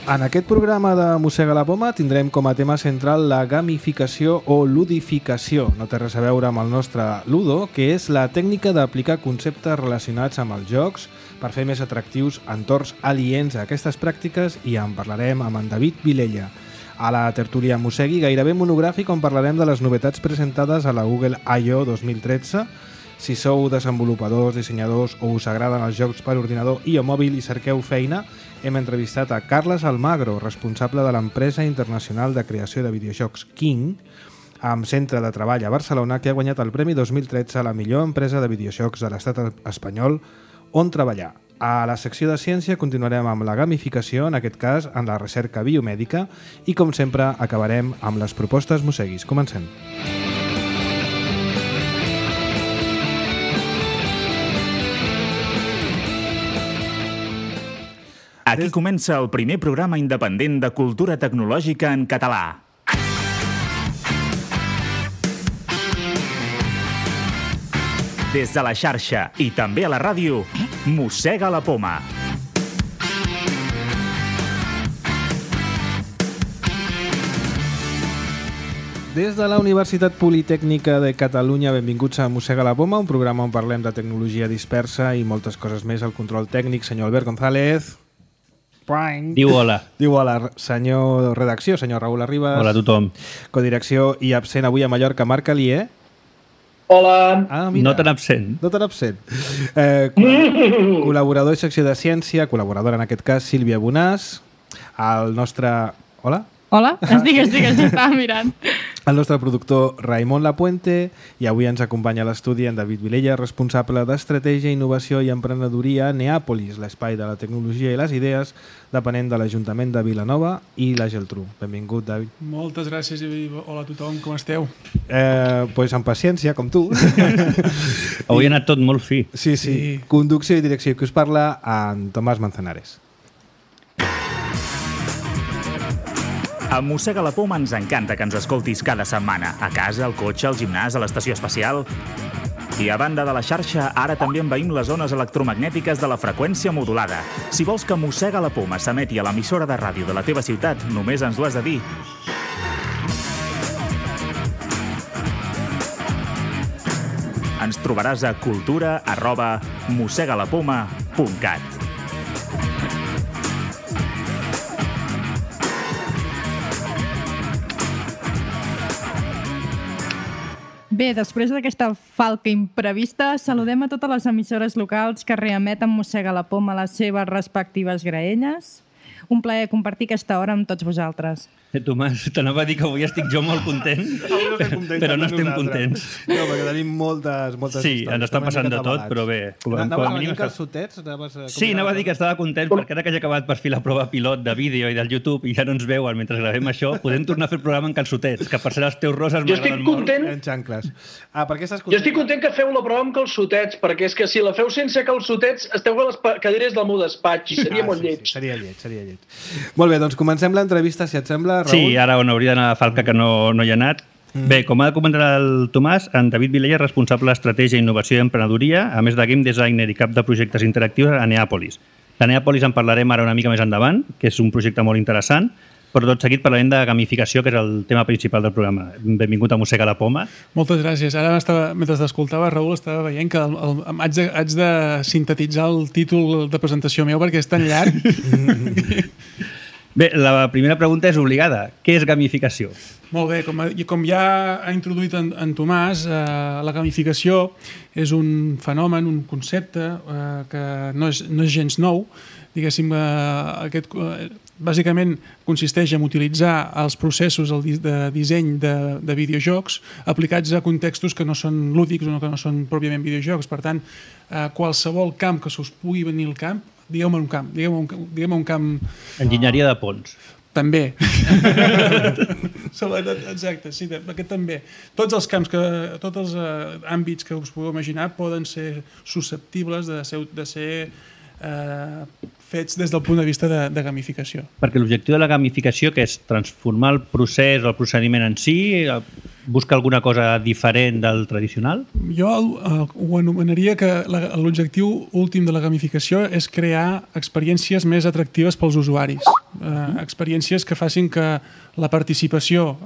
En aquest programa de Mossega la Poma tindrem com a tema central la gamificació o ludificació. No té res a veure amb el nostre ludo, que és la tècnica d'aplicar conceptes relacionats amb els jocs per fer més atractius entorns aliens a aquestes pràctiques, i en parlarem amb en David Vilella. A la tertúlia Mossegui, gairebé monogràfic, on parlarem de les novetats presentades a la Google I.O. 2013. Si sou desenvolupadors, dissenyadors o us agraden els jocs per ordinador i o mòbil i cerqueu feina, hem entrevistat a Carles Almagro, responsable de l'empresa internacional de creació de videojocs King, amb centre de treball a Barcelona, que ha guanyat el Premi 2013 a la millor empresa de videojocs de l'estat espanyol on treballar. A la secció de ciència continuarem amb la gamificació, en aquest cas en la recerca biomèdica, i com sempre acabarem amb les propostes mosseguis. Comencem. Aquí comença el primer programa independent de cultura tecnològica en català. Des de la xarxa i també a la ràdio, Mossega la Poma. Des de la Universitat Politècnica de Catalunya, benvinguts a Mossega la Poma, un programa on parlem de tecnologia dispersa i moltes coses més al control tècnic. Senyor Albert González. Diu hola. Diu hola. Senyor redacció, senyor Raül Arribas. Hola a tothom. Codirecció i absent avui a Mallorca, Marc Alier. Hola. Ah, mira. No tan absent. No tan absent. Col·laborador i secció de ciència, col·laboradora en aquest cas, Sílvia Bonàs. El nostre... Hola? Hola? Estigues, estava mirant. El nostre productor Raimon Lapuente, i avui ens acompanya a l'estudi en David Vilella, responsable d'Estratègia, Innovació i Emprenedoria a Neàpolis, l'espai de la tecnologia i les idees, depenent de l'Ajuntament de Vilanova i la Geltrú. Benvingut, David. Moltes gràcies i hola a tothom, com esteu? Pues amb paciència, com tu. Avui ha anat tot molt fi. Sí. Conducció i direcció, que us parla en Tomàs Manzanares. A Mossega la Poma ens encanta que ens escoltis cada setmana, a casa, al cotxe, al gimnàs, a l'estació espacial. I a banda de la xarxa, ara també envaïm les zones electromagnètiques de la freqüència modulada. Si vols que Mossega la Poma s'emeti a l'emissora de ràdio de la teva ciutat, només ens ho has de dir. Ens trobaràs a cultura@mossegalapoma.cat. Bé, després d'aquesta falca imprevista, saludem a totes les emissores locals que reemeten Mossega la Poma a les seves respectives graelles. Un plaer compartir aquesta hora amb tots vosaltres. Tomàs, t'anava a dir que avui estic jo molt content, però no estem contents. No, perquè tenim moltes sí, històries. ens està passant de tot, però bé. Anaves a venir calçotets? Sí, anava a dir que estava content perquè ara que ja he acabat per fi la prova pilot de vídeo i del YouTube i ja no ens veuen mentre gravem això, podem tornar a fer el programa en calçotets, que per ser els teus roses m'agraden molt. En xancles. Per què estàs content? Jo estic content que feu la prova amb calçotets, perquè és que si la feu sense calçotets esteu a les cadires del meu despatx i seria molt lleig. Seria lleig. Molt bé, doncs comencem l'entrevista, si et sembla, Raül. Sí, ara on hauria d'anar a Falca, que no hi ha anat. Bé, com ha comentat el Tomàs, en David Vilella és responsable d'Estratègia, Innovació i Emprenedoria, a més de Game Designer i cap de projectes interactius a Neàpolis. De Neàpolis en parlarem ara una mica més endavant, que és un projecte molt interessant, però tot seguit parlarem de gamificació, que és el tema principal del programa. Benvingut a Mossega la Poma. Moltes gràcies. Ara, mentre t'escoltava, Raül, estava veient que haig de sintetitzar el títol de presentació meu perquè és tan llarg. Bé, la primera pregunta és obligada. Què és gamificació? Molt bé, com ja ha introduït en Tomàs, la gamificació és un fenomen, un concepte que no és gens nou. Diguéssim, bàsicament consisteix en utilitzar els processos de disseny de videojocs aplicats a contextos que no són lúdics o que no són pròpiament videojocs. Per tant, qualsevol camp que se us pugui venir al cap, digueu-me un camp. Enginyeria de ponts. També. Exacte, sí, aquest també. Tots els camps, tots els àmbits que us podeu imaginar poden ser susceptibles de ser fets des del punt de vista de gamificació. Perquè l'objectiu de la gamificació, que és transformar el procés o el procediment en si, busca alguna cosa diferent del tradicional? Jo ho anomenaria que l'objectiu últim de la gamificació és crear experiències més atractives pels usuaris. experiències que facin que la participació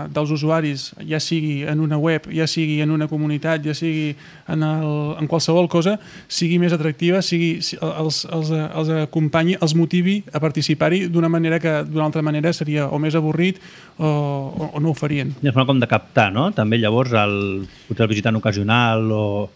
dels usuaris, ja sigui en una web, ja sigui en una comunitat, ja sigui en qualsevol cosa, sigui més atractiva, els acompanyi, els motivi a participar-hi d'una manera que d'una altra manera seria o més avorrit o no ho farien. És una com de captar, no? També llavors potser el visitant ocasional o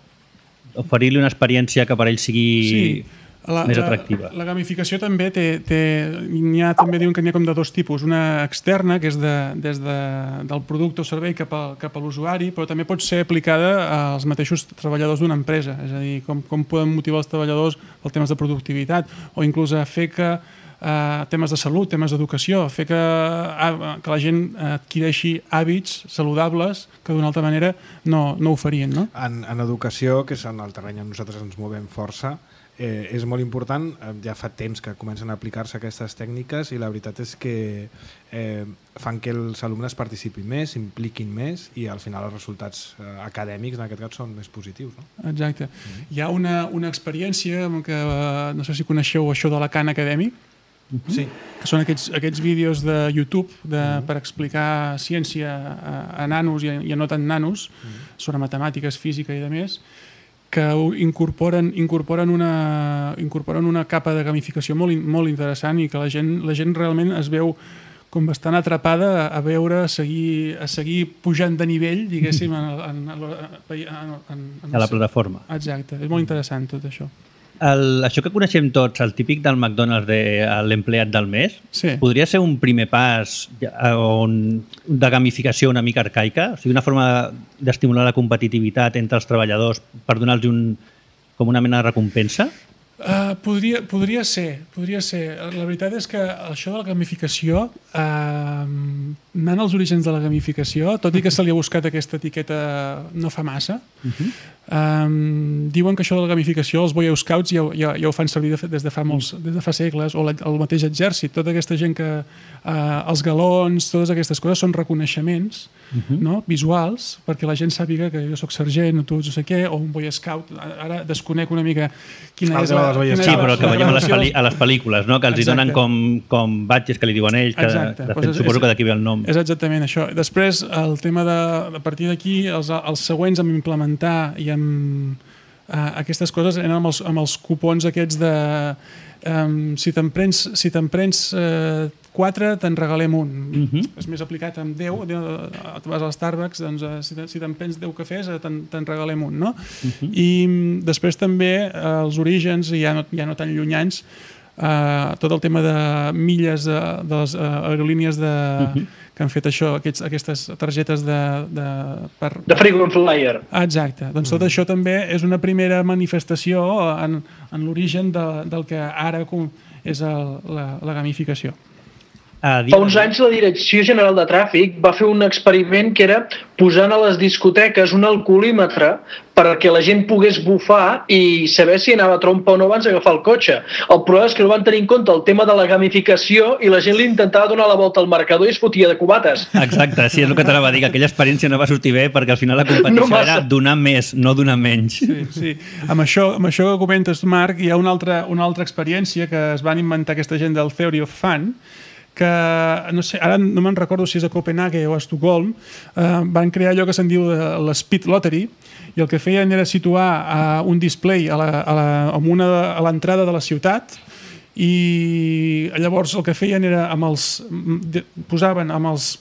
oferir-li una experiència que per ell sigui més atractiva. La gamificació també també diuen que n'hi ha com de dos tipus. Una externa, que és des del producte o servei cap a l'usuari, però també pot ser aplicada als mateixos treballadors d'una empresa. És a dir, com poden motivar els treballadors els temes de productivitat o inclús a fer que temes de salut, temes d'educació, fer que la gent adquireixi hàbits saludables que d'una altra manera no ho farien. No? En educació, que és en el terreny on nosaltres ens movem força, és molt important, ja fa temps que comencen a aplicar-se aquestes tècniques i la veritat és que fan que els alumnes participin més, s'impliquin més i al final els resultats acadèmics en aquest cas són més positius. No? Exacte. Hi ha una experiència que no sé si coneixeu això de la Khan Academy, sí. Que són aquests vídeos de YouTube per explicar ciència a nanos i a no tan nanos, sobre matemàtiques, física i demés, que incorporen una capa de gamificació molt interessant i que la gent realment es veu com bastant atrapada a seguir pujant de nivell, diguéssim, a la plataforma. Exacte, és molt interessant tot això. Això que coneixem tots, el típic del McDonald's de l'empleat del mes, sí. Podria ser un primer pas de gamificació una mica arcaica? O sigui, una forma d'estimular la competitivitat entre els treballadors per donar-los com una mena de recompensa? Podria ser. La veritat és que això de la gamificació, anant als orígens de la gamificació, tot i que se li ha buscat aquesta etiqueta no fa massa, diuen que això de la gamificació els Boy Scouts ja ho fan servir des de fa segles, o el mateix exèrcit, tota aquesta gent que els galons, totes aquestes coses són reconeixements visuals perquè la gent sàpiga que jo soc sergent o tu no sé què, o un Boy Scout. Ara desconec una mica quina és la... Sí, però que veiem a les pel·lícules, no? Que els hi donen com badges que li diuen ells, que de fet suposo que d'aquí ve el nom. És exactament això. Després, el tema a partir d'aquí, els següents amb implementar i amb aquestes coses eren amb els cupons aquests de si te'n prens 4 te'n regalem un. És més aplicat amb 10, tu vas al Starbucks, doncs si te'n prens 10 cafès te'n regalem un, no? I després també els orígens, ja no tan llunyans, tot el tema de milles de les aerolínies que han fet això, aquestes targetes de frequent flyer. Exacte. Doncs tot això també és una primera manifestació en l'origen del que ara és la gamificació. Fa uns anys la Direcció General de Tràfic va fer un experiment que era posant a les discoteques un alcoholímetre perquè la gent pogués bufar i saber si anava a trompa o no abans d'agafar el cotxe. El problema és que no van tenir en compte el tema de la gamificació i la gent li intentava donar la volta al marcador i es fotia de cubates. Exacte, sí, és el que t'anava a dir, que aquella experiència no va sortir bé perquè al final la competició era donar més, no donar menys. Sí. Amb això que comentes, Marc, hi ha una altra experiència que es van inventar aquesta gent del Theory of Fun, que no sé, ara no me'n recordo si és a Copenhague o a Estocolm, van crear allò que se'n diu l'Speed Lottery, i el que feien era situar un display a l'entrada de la ciutat, i llavors el que feien era posaven amb els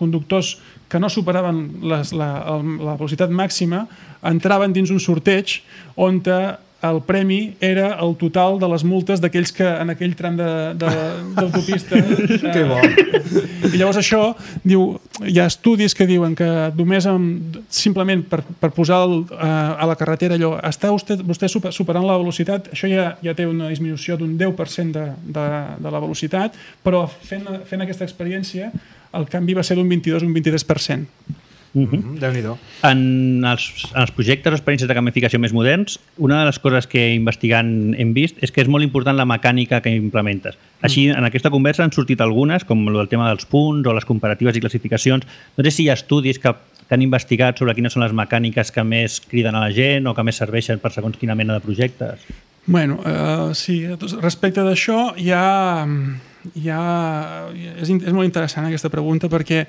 conductors que no superaven la velocitat màxima, entraven dins un sorteig on el premi era el total de les multes d'aquells que en aquell tram d'autopista... Que bo! I llavors això, hi ha estudis que diuen que només simplement per posar a la carretera allò, està vostè superant la velocitat, això ja té una disminució d'un 10% de la velocitat, però fent aquesta experiència el canvi va ser d'un 22 o un 23%. Déu-n'hi-do. En els projectes o experiències de gamificació més moderns, una de les coses que investigant hem vist és que és molt important la mecànica que implementes. Així, en aquesta conversa han sortit algunes, com el tema dels punts o les comparatives i classificacions. No sé si hi ha estudis que han investigat sobre quines són les mecàniques que més criden a la gent o que més serveixen per segons quina mena de projectes. Bueno, sí, respecte d'això hi ha és molt interessant aquesta pregunta perquè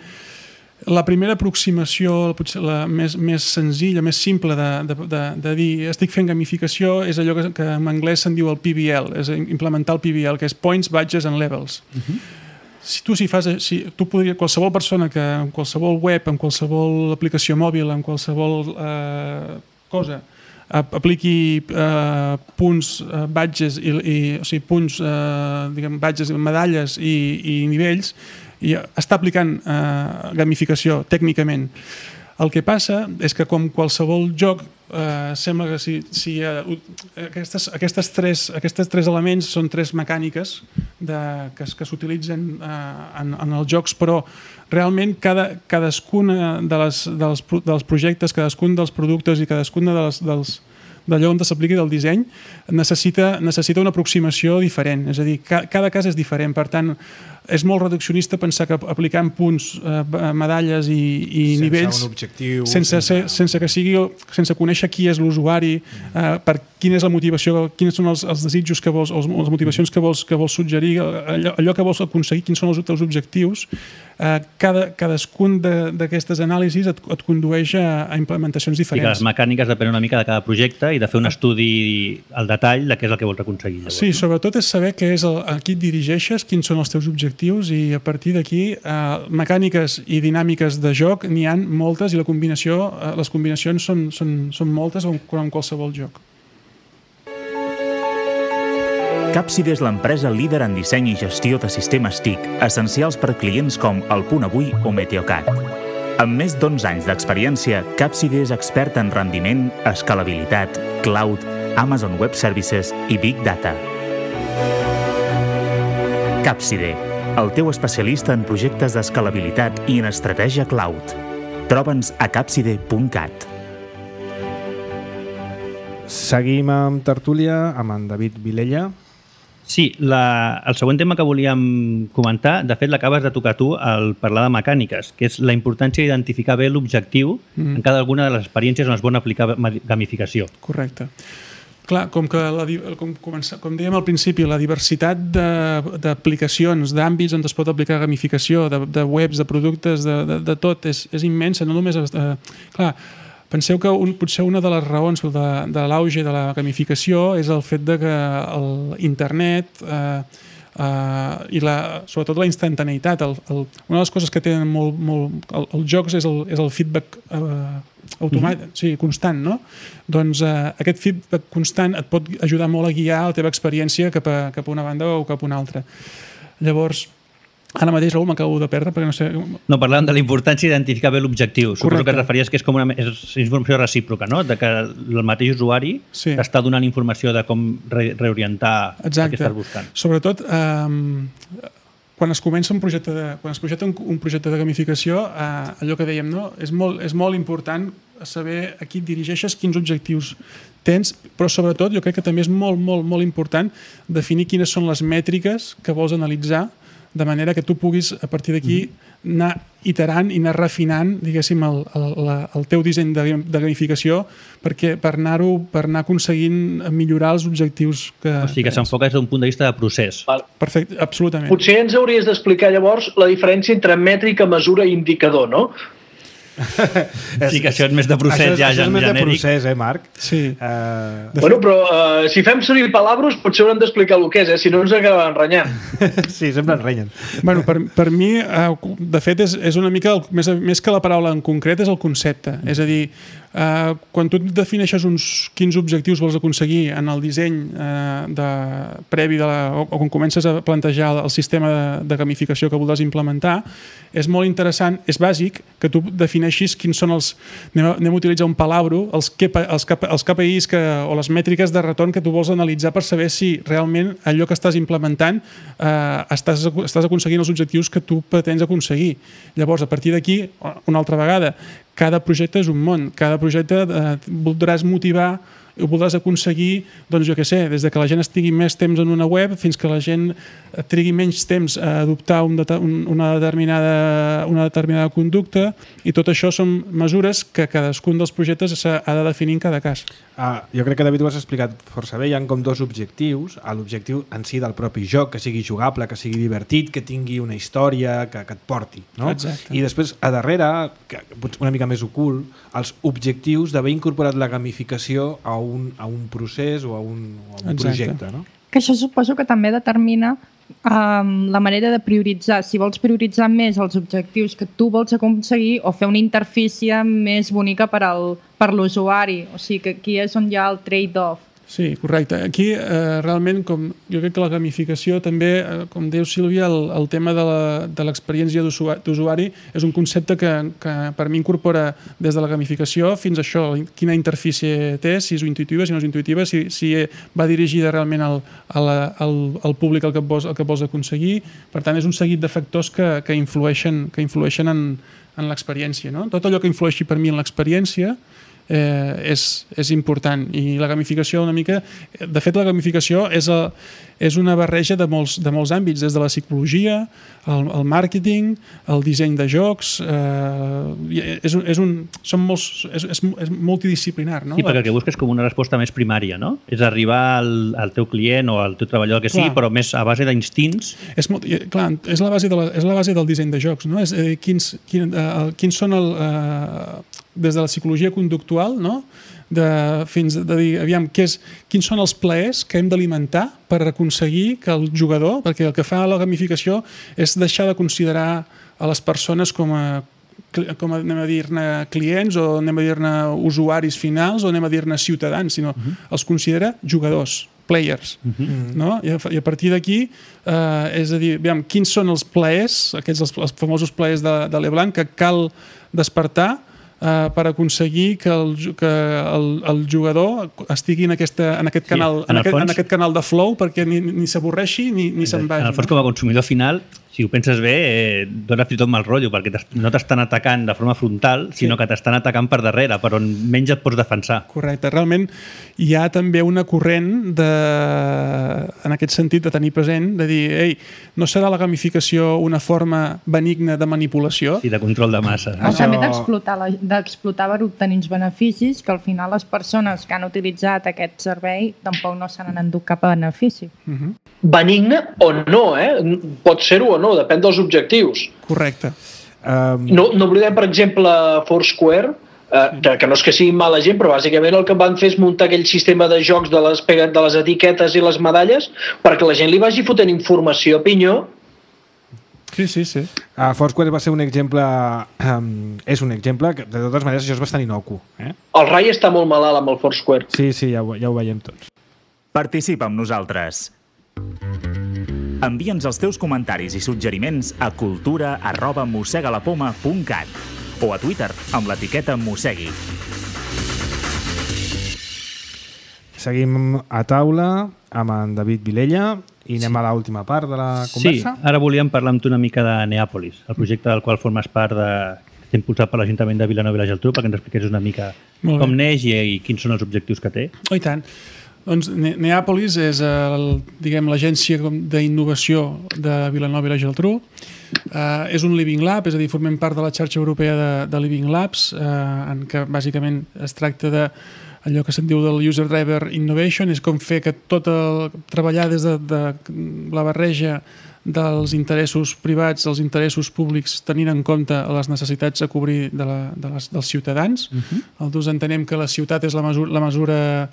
la primera aproximació, potser la més senzilla, més simple de dir estic fent gamificació és allò que en anglès se'n diu el PBL, és implementar el PBL, que és Points, Badges and Levels. Tu podries, qualsevol persona que en qualsevol web, en qualsevol aplicació mòbil, en qualsevol cosa, apliqui punts, badges, o sigui, punts, badges, medalles i nivells, i està aplicant gamificació tècnicament. El que passa és que com qualsevol joc sembla que si aquests tres elements són tres mecàniques que s'utilitzen en els jocs, però realment cadascun dels projectes, cadascun dels productes i cadascun d'allò on s'apliqui del disseny necessita una aproximació diferent, és a dir, cada cas és diferent, per tant és molt reduccionista pensar que aplicant punts, medalles i nivells sense conèixer qui és l'usuari, per quina és la motivació, quins són els desitjos que vols, les motivacions que vols suggerir, allò que vols aconseguir, quins són els teus objectius. Cadascun d'aquestes anàlisis et condueix a implementacions diferents. I que les mecàniques depenen una mica de cada projecte i de fer un estudi al detall de què és el que vols aconseguir. Sí, sobretot és saber què és a qui et dirigeixes, quins són els teus objectius i a partir d'aquí mecàniques i dinàmiques de joc n'hi ha moltes i les combinacions són moltes com en qualsevol joc. Capside és l'empresa líder en disseny i gestió de sistemes TIC, essencials per clients com El Punt Avui o Meteocat. Amb més d'11 anys d'experiència, Capside és expert en rendiment, escalabilitat, cloud, Amazon Web Services i Big Data. Capside, el teu especialista en projectes d'escalabilitat i en estratègia cloud. Troba'ns a capside.cat. Seguim amb tertúlia amb en David Vilella. Sí, el següent tema que volíem comentar, de fet l'acabes de tocar tu al parlar de mecàniques, que és la importància d'identificar bé l'objectiu en cada alguna de les experiències on es vol aplicar gamificació. Correcte. Clar, com dèiem al principi, la diversitat d'aplicacions, d'àmbits on es pot aplicar gamificació, de webs, de productes, de tot, és immensa. No només... Clar, penseu que potser una de les raons de l'auge de la gamificació és el fet de que l'internet i sobretot la instantaneïtat, una de les coses que tenen molt els jocs és el feedback automàtic, sí, constant, no? Doncs aquest feedback constant et pot ajudar molt a guiar la teva experiència cap a una banda o cap a una altra. Llavors, ara mateix, Raül, m'acabo de perdre perquè no sé... No, parlàvem de la importància d'identificar bé l'objectiu. Suposo que et referies que és com és informació recíproca, no? De que el mateix usuari t'està donant informació de com reorientar el que estàs buscant. Sobretot, quan es comença un projecte de gamificació, allò que dèiem, no? És molt important saber a qui et dirigeixes, quins objectius tens, però sobretot jo crec que també és molt, molt, molt important definir quines són les mètriques que vols analitzar, de manera que tu puguis, a partir d'aquí, anar iterant i anar refinant, diguéssim, el teu disseny de gamificació per anar aconseguint millorar els objectius que... O sigui, que s'enfoca des d'un punt de vista de procés. Perfecte, absolutament. Potser ens hauries d'explicar llavors la diferència entre mètrica, mesura i indicador, no? Sí, que això és més de procés ja genèric. Això és més de procés, Marc? Sí. Bueno, però si fem servir palabres potser haurem d'explicar el que és, si no ens acabem enrenyant. Sí, sempre enrenyen. Bueno, per mi, de fet, és una mica, més que la paraula en concret, és el concepte. És a dir, quan tu defineixes uns quins objectius vols aconseguir en el disseny previ o quan comences a plantejar el sistema de gamificació que voldràs implementar, és molt interessant, és bàsic que tu defineixis quins són anem a utilitzar un palabro, els KPIs o les mètriques de retorn que tu vols analitzar per saber si realment allò que estàs implementant estàs aconseguint els objectius que tu pretens aconseguir. Llavors, a partir d'aquí, una altra vegada, cada projecte és un món. Cada projecte voldràs motivar ho podràs aconseguir, doncs jo què sé, des de que la gent estigui més temps en una web fins que la gent trigui menys temps a adoptar una determinada conducta, i tot això són mesures que cadascun dels projectes ha de definir en cada cas. Jo crec que, David, ho has explicat força bé. Hi ha com dos objectius. L'objectiu en si del propi joc, que sigui jugable, que sigui divertit, que tingui una història, que et porti, no? Exacte. I després, a darrere, que una mica més ocult, els objectius d'haver incorporat la gamificació a un procés o a un projecte, no? Que això suposo que també determina la manera de prioritzar, si vols prioritzar més els objectius que tu vols aconseguir o fer una interfície més bonica per l'usuari. O sigui que aquí és on hi ha el trade-off. Sí, correcte. Aquí realment jo crec que la gamificació també, com diu Sílvia, el tema de l'experiència d'usuari és un concepte que per mi incorpora des de la gamificació fins a això, quina interfície té, si és intuïtiva, si no és intuïtiva, si va dirigida realment al públic al que vols aconseguir. Per tant, és un seguit de factors que influeixen en l'experiència, no? Tot allò que influeixi per mi en l'experiència és important, i la gamificació una mica, de fet la gamificació és una barreja de molts àmbits, des de la psicologia, el màrqueting, el disseny de jocs, és multidisciplinar, no? Sí, perquè el que busques com una resposta més primària, no? És arribar al teu client o al teu treballador, que sigui, però més a base d'instints. Clar, és la base del disseny de jocs, no? És quins són des de la psicologia conductual, no? Fins a dir, aviam, quins són els plaers que hem d'alimentar per aconseguir que el jugador, perquè el que fa la gamificació és deixar de considerar a les persones com anem a dir-ne clients, o anem a dir-ne usuaris finals, o anem a dir-ne ciutadans, sinó els considera jugadors, players, no? I a partir d'aquí, és a dir, aviam, quins són els plaers, aquests els famosos plaers de Leblanc, que cal despertar per aconseguir que el jugador estigui en aquest canal de flow, perquè ni s'avorreixi ni se'n vagi. En el fons, com a consumidor final, si ho penses bé, dona fins i tot mal rotllo, perquè no t'estan atacant de forma frontal, sinó que t'estan atacant per darrere, per on menys et pots defensar. Correcte. Realment hi ha també una corrent en aquest sentit de tenir present, de dir, no serà la gamificació una forma benigna de manipulació? Sí, de control de massa. També d'explotar per obtenir uns beneficis que al final les persones que han utilitzat aquest servei tampoc no se n'han endut cap benefici. Benigne o no, pot ser-ho o no, depèn dels objectius. Correcte. No oblidem, per exemple, Foursquare, que no és que siguin mala gent, però bàsicament el que van fer és muntar aquell sistema de jocs de les etiquetes i les medalles perquè la gent li vagi fotent informació a pinyó. Sí. Foursquare va ser un exemple, és un exemple que, de totes maneres, això és bastant inocu. El Rai està molt malalt amb el Foursquare. Sí, ja ho veiem tots. Participa amb nosaltres. Envia'ns els teus comentaris i suggeriments a cultura@mossegalapoma.cat o a Twitter amb l'etiqueta Mossegui. Seguim a taula amb en David Vilella i anem a l'última part de la conversa. Sí, ara volíem parlar amb tu una mica de Neàpolis, el projecte del qual formes part, que està impulsat per l'Ajuntament de Vilanova i la Geltrú, perquè ens expliqués una mica com neix i quins són els objectius que té. I tant. Doncs Neàpolis és l'agència d'innovació de Vilanova i la Geltrú. És un Living Lab, és a dir, formem part de la xarxa europea de Living Labs, en què bàsicament es tracta de allò que se'n diu del User Driver Innovation, és com fer que treballar des de la barreja dels interessos privats, els interessos públics, tenint en compte les necessitats a cobrir dels ciutadans. Nosaltres entenem que la ciutat és la mesura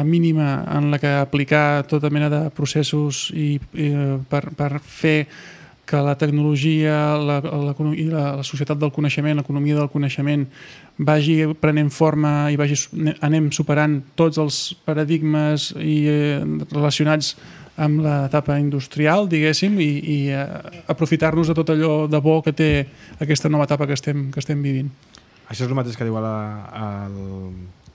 mínima en la que aplicar tota mena de processos per fer que la tecnologia i la societat del coneixement, l'economia del coneixement vagi prenent forma i anem superant tots els paradigmes relacionats amb l'etapa industrial, diguéssim, i aprofitar-nos de tot allò de bo que té aquesta nova etapa que estem vivint. Això és el mateix que diu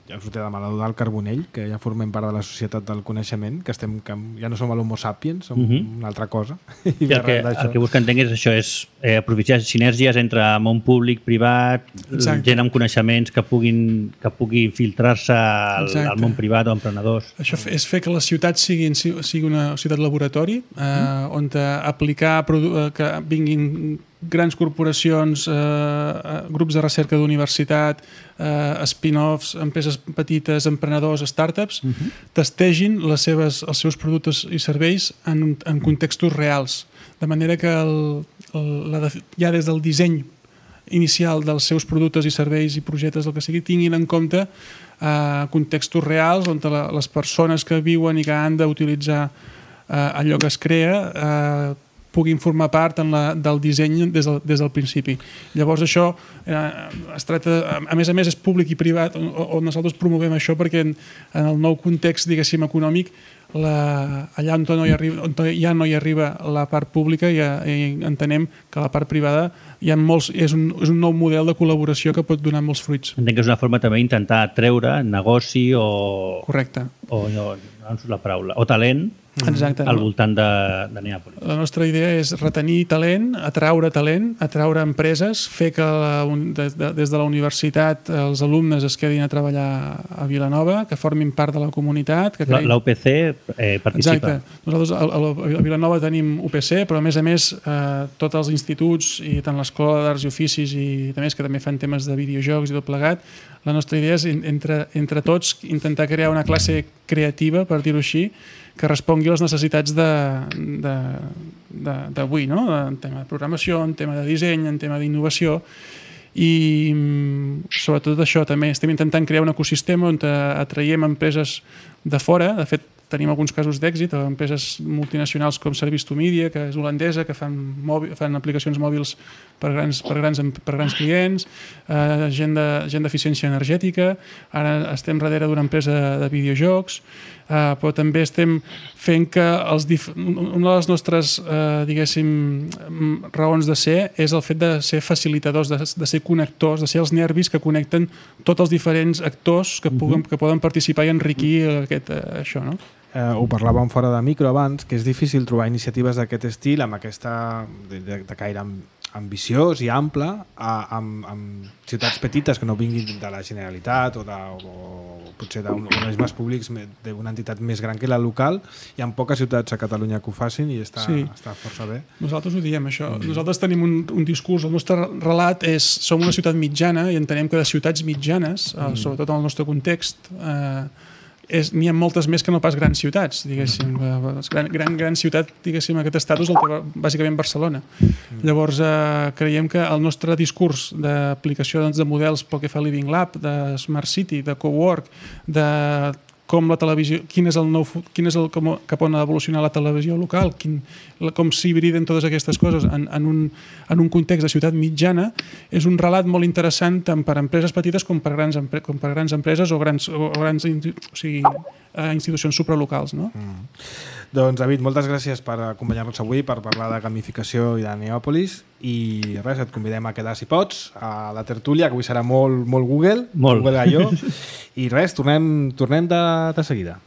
ja us ho té de l'Eudald Carbonell, que ja formem part de la societat del coneixement, que ja no som l'Homo sapiens, som una altra cosa. I el que busca entenc és això, és aprofitar sinergies entre món públic, privat, gent amb coneixements que pugui filtrar-se al món privat o emprenedors. Això és fer que la ciutat sigui una ciutat laboratori, on aplicar que vinguin grans corporacions, grups de recerca d'universitat, spin-offs, empreses petites, emprenedors, startups, testegin els seus productes i serveis en contextos reals. De manera que ja des del disseny inicial dels seus productes i serveis i projectes, el que sigui, tinguin en compte contextos reals on les persones que viuen i que han d'utilitzar allò que es crea puguin formar part del disseny des del principi. Llavors això es tracta, a més és públic i privat, on nosaltres promovem això perquè en el nou context, diguéssim, econòmic, allà on ja no hi arriba la part pública i entenem que la part privada és un nou model de col·laboració que pot donar molts fruits. Entenc que és una forma també d'intentar treure negoci o... Correcte. O no em surt la paraula. O talent. Exacte. Al voltant de Neàpolis. La nostra idea és retenir talent, atraure empreses, fer que des de la universitat els alumnes es quedin a treballar a Vilanova, que formin part de la comunitat. La UPC participa. Exacte. Nosaltres a Vilanova tenim UPC, però a més tots els instituts i tant l'Escola d'Arts i Oficis i també que també fan temes de videojocs i tot plegat, la nostra idea és entre tots intentar crear una classe creativa, per dir-ho així, que respongui a les necessitats d'avui, no? En tema de programació, en tema de disseny, en tema d'innovació, i sobretot això també estem intentant crear un ecosistema on atraiem empreses de fora. De fet, tenim alguns casos d'èxit, empreses multinacionals com Service2Media, que és holandesa, que fan aplicacions mòbils per grans clients, gent d'eficiència energètica. Ara estem darrere d'una empresa de videojocs, però també estem fent que una de les nostres raons de ser és el fet de ser facilitadors, de ser connectors, de ser els nervis que connecten tots els diferents actors que poden participar i enriquir això, no? Ho parlàvem fora de micro abans, que és difícil trobar iniciatives d'aquest estil amb aquesta de caire ambiciós i ample amb ciutats petites que no vinguin de la Generalitat o potser d'un organismes públics d'una entitat més gran que la local. Hi ha poques ciutats a Catalunya que ho facin i està força bé. Nosaltres ho diem, això. Nosaltres tenim un discurs, el nostre relat és som una ciutat mitjana i entenem que de ciutats mitjanes, sobretot en el nostre context, n'hi ha moltes més que no pas grans ciutats, diguéssim. Gran ciutat, diguéssim, aquest estatus el té bàsicament Barcelona. Llavors, creiem que el nostre discurs d'aplicació de models pel que fa a Living Lab, de Smart City, de Cowork, de com la televisió, cap on ha d'evolucionar la televisió local, com s'hibriden totes aquestes coses en un context de ciutat mitjana, és un relat molt interessant tant per empreses petites com per grans empreses o grans institucions supralocals. No? Doncs, David, moltes gràcies per acompanyar-nos avui, per parlar de gamificació i de Neàpolis, i res, et convidem a quedar, si pots, a la tertúlia, que avui serà molt Google, Google Gallo, i res, tornem de seguida.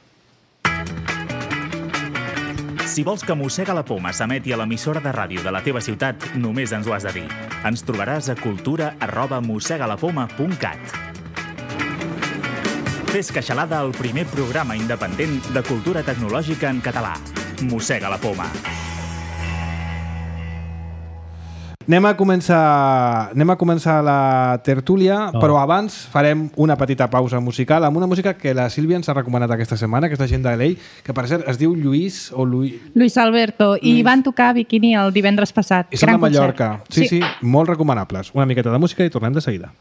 Si vols que Mossega la Poma s'emeti a l'emissora de ràdio de la teva ciutat, només ens ho has de dir. Ens trobaràs a cultura@mossegalapoma.cat. Fes Queixalada, el primer programa independent de cultura tecnològica en català. Mossega la Poma. Anem a començar la tertúlia, però abans farem una petita pausa musical amb una música que la Sílvia ens ha recomanat aquesta setmana, que és la gent de LA, que per cert es diu Luis Alberto, i van tocar a Bikini el divendres passat. I són de Mallorca. Sí, molt recomanables. Una miqueta de música i tornem de seguida.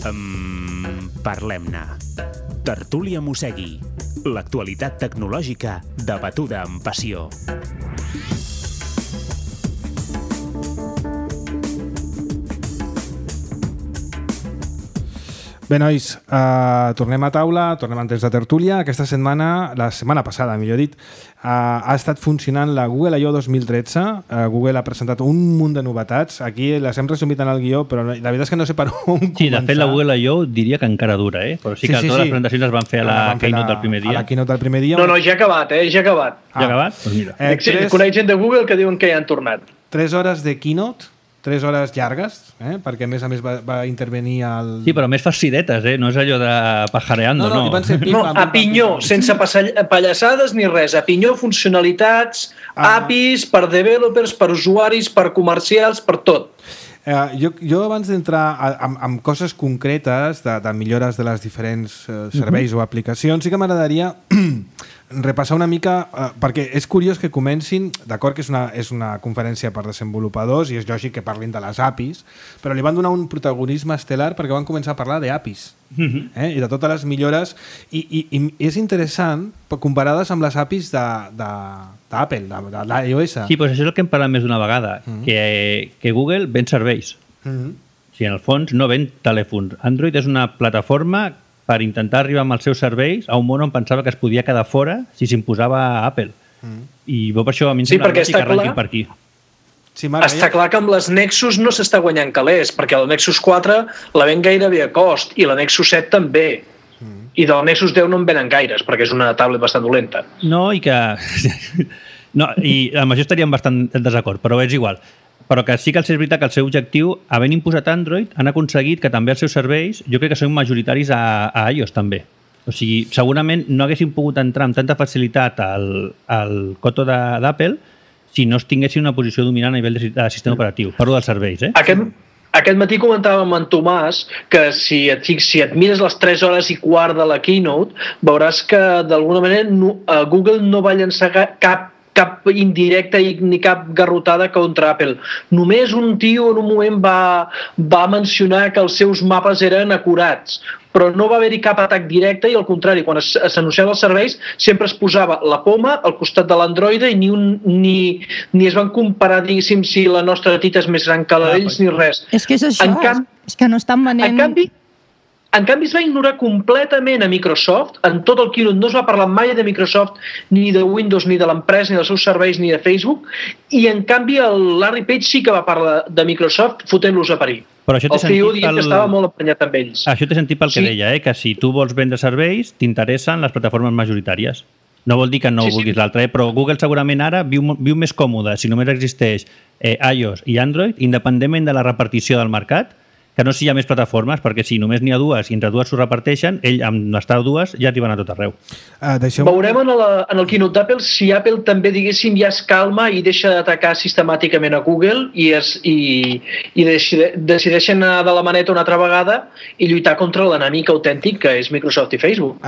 Parlem-ne. Tertúlia Mossegui. L'actualitat tecnològica debatuda amb passió. Bé, nois, tornem a taula, tornem en temps de tertúlia. Aquesta setmana, la setmana passada, millor dit, ha estat funcionant la Google I.O. 2013. Google ha presentat un munt de novetats. Aquí les hem resumit en el guió, però la veritat és que no sé per on començar. Sí, de fet, la Google I.O. diria que encara dura, però sí que totes les presentacions es van fer a la Keynote del primer dia. A la Keynote del primer dia. No, ja ha acabat, ja ha acabat. Ja ha acabat? Doncs mira. Conec gent de Google que diuen que ja han tornat. 3 hores de Keynote, 3 hores llargues, perquè a més va intervenir el... Sí, però més farcidetes, no és allò de pajareando, no. A pinyó, sense pallassades ni res, a pinyó, funcionalitats, APIs, per developers, per usuaris, per comercials, per tot. Jo abans d'entrar amb coses concretes de millores de les diferents serveis o aplicacions, sí que m'agradaria repassar una mica, perquè és curiós que comencin, d'acord que és una conferència per desenvolupadors i és lògic que parlin de les APIs, però li van donar un protagonisme estel·lar perquè van començar a parlar d'APIs i de totes les millores i és interessant comparades amb les APIs d'Apple, de l'iOS. Sí, doncs això és el que hem parlat més d'una vegada, que Google ven serveis. O sigui, en el fons no ven telèfons. Android és una plataforma per intentar arribar amb els seus serveis a un món on pensava que es podia quedar fora si s'imposava a Apple. I per això a mi em sembla lògic que arrenquin per aquí. Sí, està clar que amb les Nexus no s'està guanyant calés, perquè el Nexus 4 la ven gairebé a cost, i la Nexus 7 també. I del Nexus 10 no en venen gaires, perquè és una tablet bastant dolenta. No, i que... No, i amb això estaríem bastant en desacord, però és igual. Però que sí que és veritat que el seu objectiu, havent imposat Android, han aconseguit que també els seus serveis, jo crec que són majoritaris a iOS també. O sigui, segurament no haguessin pogut entrar amb tanta facilitat al coto d'Apple si no es tinguessin una posició dominant a nivell de sistema operatiu. Parlo dels serveis, Aquest matí comentàvem amb en Tomàs que si et mires les 3 hores i quart de la Keynote, veuràs que d'alguna manera Google no va llançar cap indirecta ni cap garrotada contra Apple. Només un tio en un moment va mencionar que els seus mapes eren acurats, però no va haver-hi cap atac directe i al contrari, quan s'anunciaven els serveis sempre es posava la poma al costat de l'Android i ni es van comparar, diguéssim, si la nostra tita és més gran que la d'ells ni res. És que és això, és que no estan venent... En canvi, es va ignorar completament a Microsoft. En tot el keynote no es va parlar mai de Microsoft, ni de Windows, ni de l'empresa, ni dels seus serveis, ni de Facebook. I, en canvi, el Larry Page sí que va parlar de Microsoft fotent-los a parir. Però això el CEO dient que estava molt emprenyat amb ells. Això té sentit pel que deia, que si tu vols vendre serveis, t'interessen les plataformes majoritàries. No vol dir que no vulguis l'altra, però Google segurament ara viu més còmode si només existeix iOS i Android, independentment de la repartició del mercat, que no si hi ha més plataformes, perquè si només n'hi ha dues i entre dues s'ho reparteixen, ell amb l'estar dues ja arriben a tot arreu. Veurem en el keynote d'Apple si Apple també, diguéssim, ja es calma i deixa d'atacar sistemàticament a Google i decideixen anar de la maneta una altra vegada i lluitar contra l'enemic autèntic que és Microsoft i Facebook.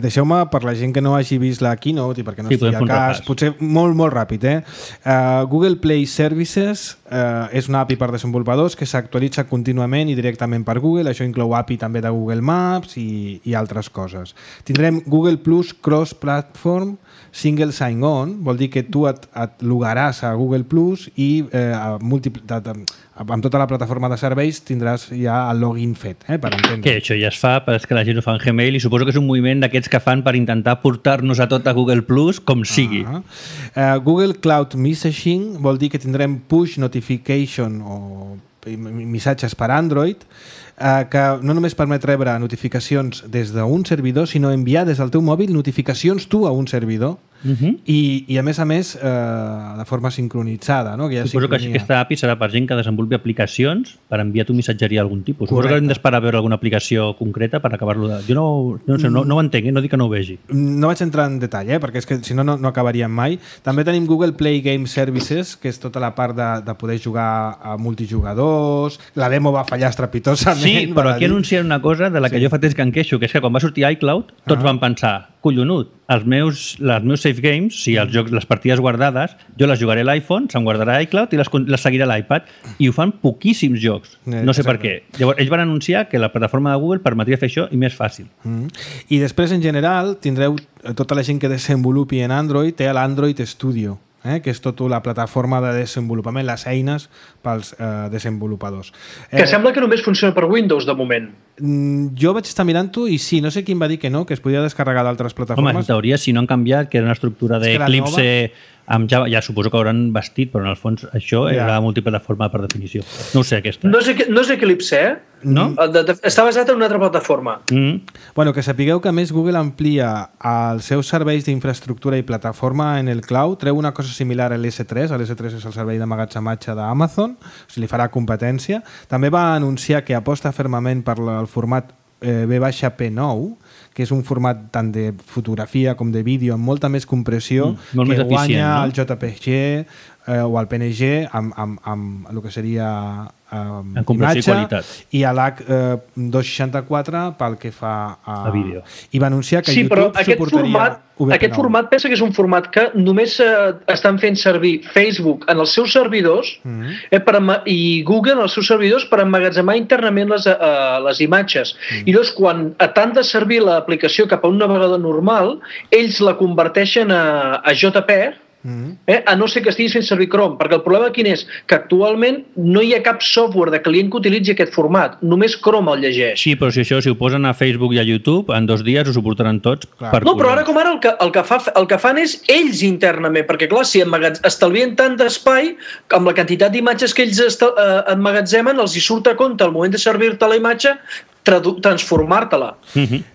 Deixeu-me, per la gent que no hagi vist la keynote i perquè no estigui a cas, potser molt, molt ràpid. Google Play Services és una API per desenvolupadors que s'actualitza contínuament i directament per Google. Això inclou API també de Google Maps i altres coses. Tindrem Google Plus Cross-Platform Single Sign-On, vol dir que tu et logaràs a Google Plus i amb tota la plataforma de serveis tindràs ja el login fet, per entendre. Que això ja es fa, però és que la gent ho fa en Gmail i suposo que és un moviment d'aquests que fan per intentar portar-nos a tot a Google Plus com sigui. Google Cloud Messaging vol dir que tindrem push notification o missatges per Android que no només permet rebre notificacions des d'un servidor, sinó enviar des del teu mòbil notificacions tu a un servidor i a més de forma sincronitzada, no? Suposo que aquesta API serà per gent que desenvolupi aplicacions per enviar tu missatgeria d'algun tipus. Suposo que hem d'esperar a veure alguna aplicació concreta per acabar-lo de... Jo no ho entenc, no dic que no ho vegi. No vaig entrar en detall, perquè és que si no acabaríem mai. També tenim Google Play Game Services, que és tota la part de poder jugar a multijugadors. La demo va fallar estrepitosament Sí, però aquí anuncien una cosa de la que jo fa temps que em queixo, que és que quan va sortir iCloud, tots van pensar, collonut, les meus save games, o sigui, els jocs, les partides guardades, jo les jugaré a l'iPhone, se'n guardarà a iCloud i les seguiré a l'iPad, i ho fan poquíssims jocs. No sé per què. Llavors, ells van anunciar que la plataforma de Google permetria fer això i més fàcil. I després, en general, tindreu tota la gent que desenvolupi en Android, té l'Android Studio, que és tota la plataforma de desenvolupament, les eines pels desenvolupadors. Que sembla que només funciona per Windows, de moment. Jo vaig estar mirant-ho i sí, no sé qui em va dir que no, que es podia descarregar d'altres plataformes. Home, en teoria, si no han canviat, que era una estructura d'Eclipse amb Java, ja suposo que hauran vestit, però en el fons això era multiplataforma per definició. No ho sé, aquesta. No és Eclipse, No? Està basat en una altra plataforma. Bueno, que sapigueu que a més Google amplia els seus serveis d'infraestructura i plataforma en el cloud, treu una cosa similar a l'S3, l'S3 és el servei d'emmagatzematge d'Amazon, o sigui, li farà competència. També va anunciar que aposta fermament per el format V-P9, que és un format tant de fotografia com de vídeo amb molta més compressió que guanya el JPG o el PNG amb el que seria imatge i a l'H264 pel que fa a vídeo. I va anunciar que YouTube suportaria aquest format pensa que és un format que només estan fent servir Facebook en els seus servidors i Google en els seus servidors per emmagatzemar internament les imatges. I llavors, quan t'han de servir l'aplicació cap a un navegador normal, ells la converteixen a JPEG, a no ser que estiguis fent servir Chrome, perquè el problema quin és? Que actualment no hi ha cap software de client que utilitzi aquest format, només Chrome el llegeix. Sí, però si ho posen a Facebook i a YouTube, en 2 dies ho suportaran tots. No, però ara com ara el que fan és ells internament, perquè clar, si estalvien tant d'espai, amb la quantitat d'imatges que ells emmagatzemen, els hi surt a compte al moment de servir-te la imatge transformar-te-la.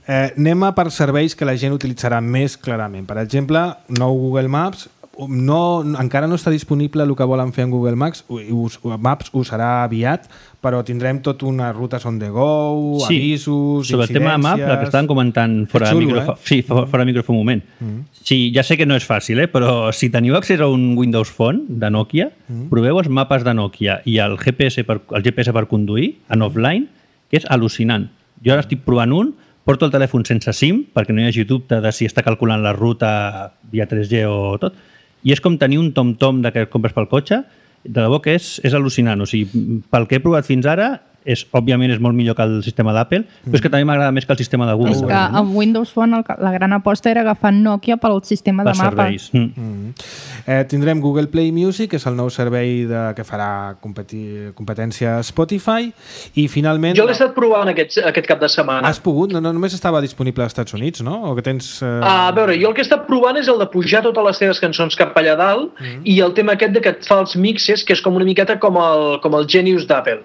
Anem a per serveis que la gent utilitzarà més clarament. Per exemple, nou Google Maps, encara no està disponible el que volen fer en Google Maps ho serà aviat, però tindrem tot unes rutes on the go, avisos, sobre el tema de Maps, el que estàvem comentant fora de micròfon un moment. Sí, ja sé que no és fàcil, però si teniu accés a un Windows Phone de Nokia, proveu els mapes de Nokia i el GPS per conduir en offline, que és al·lucinant. Jo ara estic provant porto el telèfon sense SIM, perquè no hi hagi dubte de si està calculant la ruta via 3G o tot, i és com tenir un tom-tom que compres pel cotxe, de debò que és al·lucinant. O sigui, pel que he provat fins ara, òbviament és molt millor que el sistema d'Apple, però és que també m'agrada més que el sistema de Google. És que amb Windows Phone la gran aposta era agafar Nokia pel sistema de mapes. Tindrem Google Play Music, que és el nou servei que farà competència a Spotify, i finalment... Jo l'he estat provant aquest cap de setmana. Has pogut? No, només estava disponible als Estats Units, no? O que tens... A veure, jo el que he estat provant és el de pujar totes les teves cançons cap allà dalt i el tema aquest de que et fa els mixes, que és com una miqueta com el Genius d'Apple.